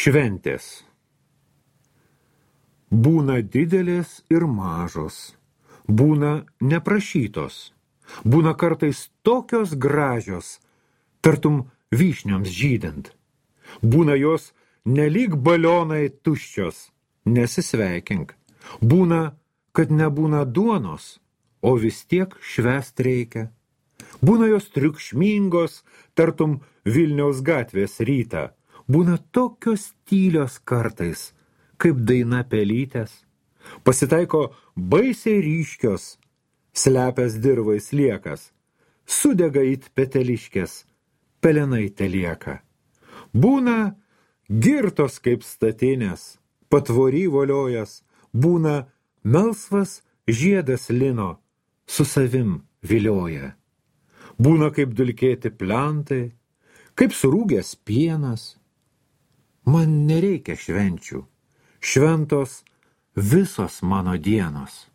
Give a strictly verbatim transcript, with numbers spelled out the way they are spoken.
Šventės. Būna didelės ir mažos, būna neprašytos, būna kartais tokios gražios, tartum vyšnioms žydint. Būna jos nelyg balionai tuščios, nesisveikink. Būna, kad nebūna duonos, o vis tiek švęst reikia. Būna jos triukšmingos, tartum Vilniaus gatvės rytą. Būna tokios tylios kartais, kaip daina pelytės. Pasitaiko baisiai ryškios, slepias dirvai sliekas. Sudega it peteliškės, pelenai telieka. Būna girtos kaip statinės, patvory voliojas. Būna melsvas žiedas lino, su savim vilioja. Būna kaip dulkėti plentai, kaip surūgęs pienas. Man nereikia švenčių, šventos visos mano dienos.